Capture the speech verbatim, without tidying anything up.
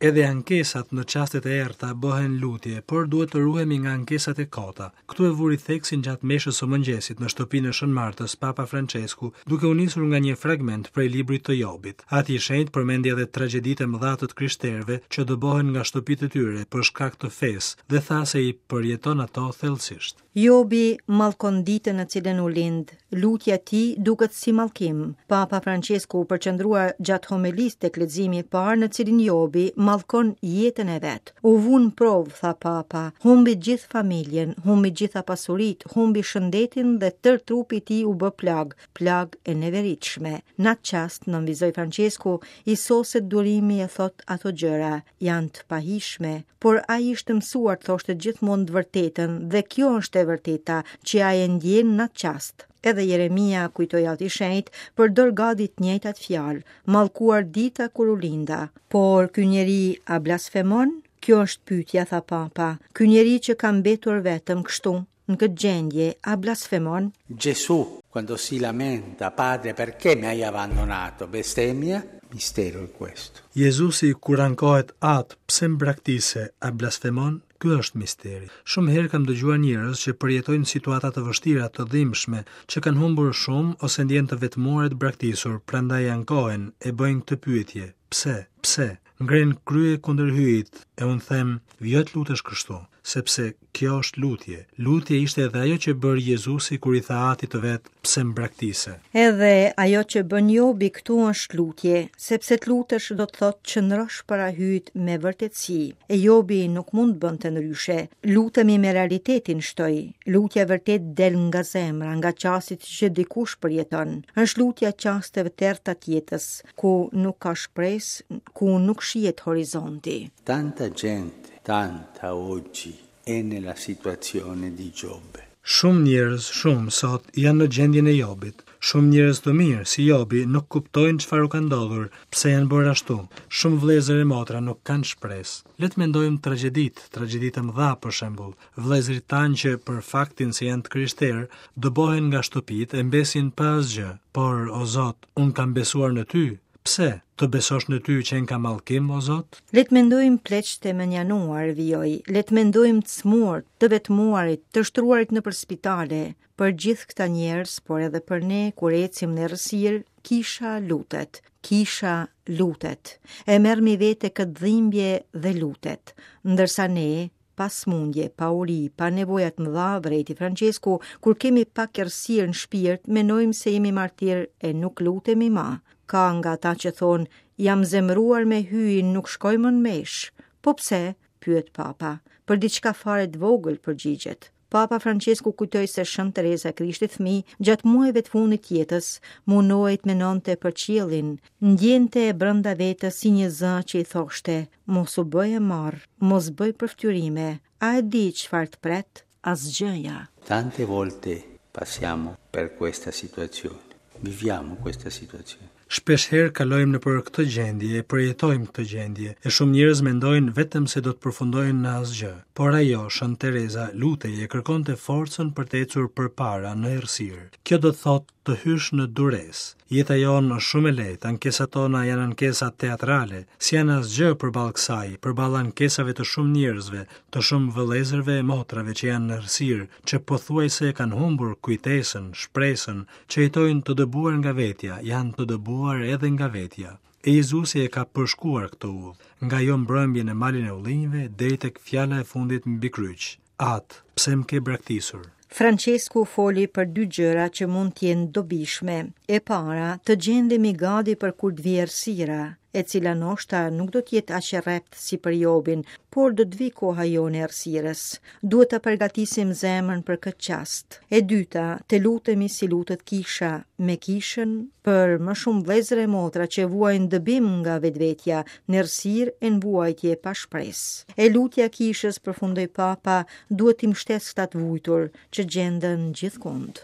Edhe ankesat në çastet e errëta bëhen lutje, por duhet të ruhemi nga ankesat e kota. Këtu e vuri theksin gjatë meshës së mëngjesit në shtëpinë e Shën Martës, Papa Francesku, duke u nisur nga një fragment prej librit të Jobit. Ati i Shenjtë përmendi edhe tragjeditë e mëdha të të krishterëve që dëbohen nga shtëpitë e tyre për shkak të fesë dhe tha se i përjeton ato thellësisht. Jobi mallkon ditën në cilën u lind. Lutja e tij duket si mallkim. Papa Francesku u përqendrua gjatë homelisë tek leximi i parë në cilin Jobi mallkon jetën e vet. U vu në provë, tha Papa, humbi gjithë familjen, humbi gjitha pasuritë, humbi shëndetin dhe tërë trupi i tij u bë plagë, plagë e neveritshme. Në atë çast, nënvizoi Francesku, i soset durimi e thot ato gjëra, janë të pahishme, por ai ishte mësuar të thoshte gjithmonë të vërtetën dhe kjo është e vërteta që ai e ndjen në atë çast. Edhe Jeremia, kujtoi Ati i Shenjtë, përdor gati të njëjtat fjalë, mallkuar dita kur u linda. Por ky njeri a blasfemon? Kjo është pyetja, tha Papa. Ky njeri që ka mbetur vetëm kështu, në këtë gjendje, a blasfemon? Gesù, quando si lamenta, Padre, perché mi hai abbandonato? Bestemmia? Mistero è questo. Jezusi kur ankohet Atë, pse më braktise, a blasfemon? Ky është misteri. Shumë herë kam dëgjuar njerëz që përjetojnë situata të vështira, të dhimbshme, që kanë humbur shumë ose ndjen të vetmuar e të braktisur, prandaj ankohen e bëjnë këtë pyetje. Pse? Pse? Ngren krye kundër Hyjit, e unë them, vijo të lutesh kështu, sepse kjo është lutje. Lutje ishte edhe ajo që bëri Jezusi kur i tha Atit të vet, pse më braktise. Edhe ajo që bën Jobi këtu është lutje, sepse të lutesh do të thotë qëndrosh para Hyjit me vërtetësi. E Jobi nuk mund të bënte ndryshe. Lutemi me realitetin, shtoi. Lutja vërtet del nga zemra, nga çastit që dikush përjeton. Është lutja çasteve të errëta të jetës, ku nuk ka shpresë, ku nuk shihet horizonti. Tanta gente, tanta oggi è nella situazione di Giobbe. Shumë njerëz, shumë sot janë në gjendjen e Jobit. Shumë njerëz të mirë, si Jobi, nuk kuptojnë çfarë u ka ndodhur, pse janë bërë ashtu. Shumë vëllezër e motra nuk kanë shpresë. Le të mendojmë tragjeditë, tragjeditë e mëdha për shembull, vëllezërit tanë që për faktin se janë të krishterë, dëbohen nga shtëpitë e mbesin pa asgjë. Por, o Zot, unë kam besuar në ty. Pse? Të besosh në ty që ka mallkim, o Zot? Le të mendojmë pleqtë e mënjanuar, vijoi. Le të mendojmë të smur, të vetmuarit, të shtruarit nëpër spitale. Për gjithë këta njerëz, por edhe për ne, kur ecim në errësirë, kisha lutet. Kisha lutet. E merr mi vete këtë dhimbje dhe lutet. Ndërsa ne, pa smundje, pa uri, pa nevoja të mëdha, vrejti Francesku, kur kemi pak errësirë në shpirt, menojmë se jemi martir e nuk lutemi ma. Ka nga ata që thonë, jam zemëruar me Hyjin, nuk shkoj më në meshë. Po pse? Pyet Papa. Për diçka fare të vogël përgjigjet. Papa Francesku kujtoi se Shën Teresa e Krishtit fëmijë, gjatë muajve të fundit të jetës, mundohej të mendonte për qiellin, ndjente brenda vetes si një zë që i thoshte, mos u bëj e marr, mos bëj përfytyrime, a e di çfarë të pret? Asgjëja. Tante volte passiamo per questa situazione, viviamo questa situazione. Shpesh herë kalojmë nëpër këtë gjendje, e përjetojmë këtë gjendje, e shumë njerëz mendojnë vetëm se do të përfundojnë në asgjë. Por ajo, Shën Teresa, lutej e kërkonte forcën për të ecur përpara në errësirë. Kjo do të thotë të hysh në duresë. Jeta jonë është shumë e lehtë, ankesat tona janë ankesa teatrale, si janë asgjë përballë kësaj, përballë ankesave të shumë njerëzve, të shumë vëllezërve e motrave që janë në errësirë, që pothuajse kanë humbur kujtesën, shpresën, që jetojnë të dëbuar nga vetja, janë të dëbuar edhe nga vetja. E Jezusi e ka përshkuar këtë udhë, nga ajo mbrëmje në malin e ullinjve deri tek fjala e fundit mbi kryq. Atë, pse më ke braktisur? Francesku foli për dy gjëra që mund të jenë dobishme. E para, të gjendemi gati për kur të vijë errësira, e cila ndoshta nuk do të jetë aq e rreptë si për Jobin, por do të vijë koha jonë e errësirës. Duhet ta përgatisim zemrën për këtë çast. E dyta, të lutemi si lutet kisha, me kishën për më shumë vëllezër e motra që vuajnë dëbim nga vetvetja, në errësirë e në vuajtje pa shpresë. E lutja e kishës, përfundoi Papa, duhet t'i mbështesë këta të vujtur që gjenden gjithkund.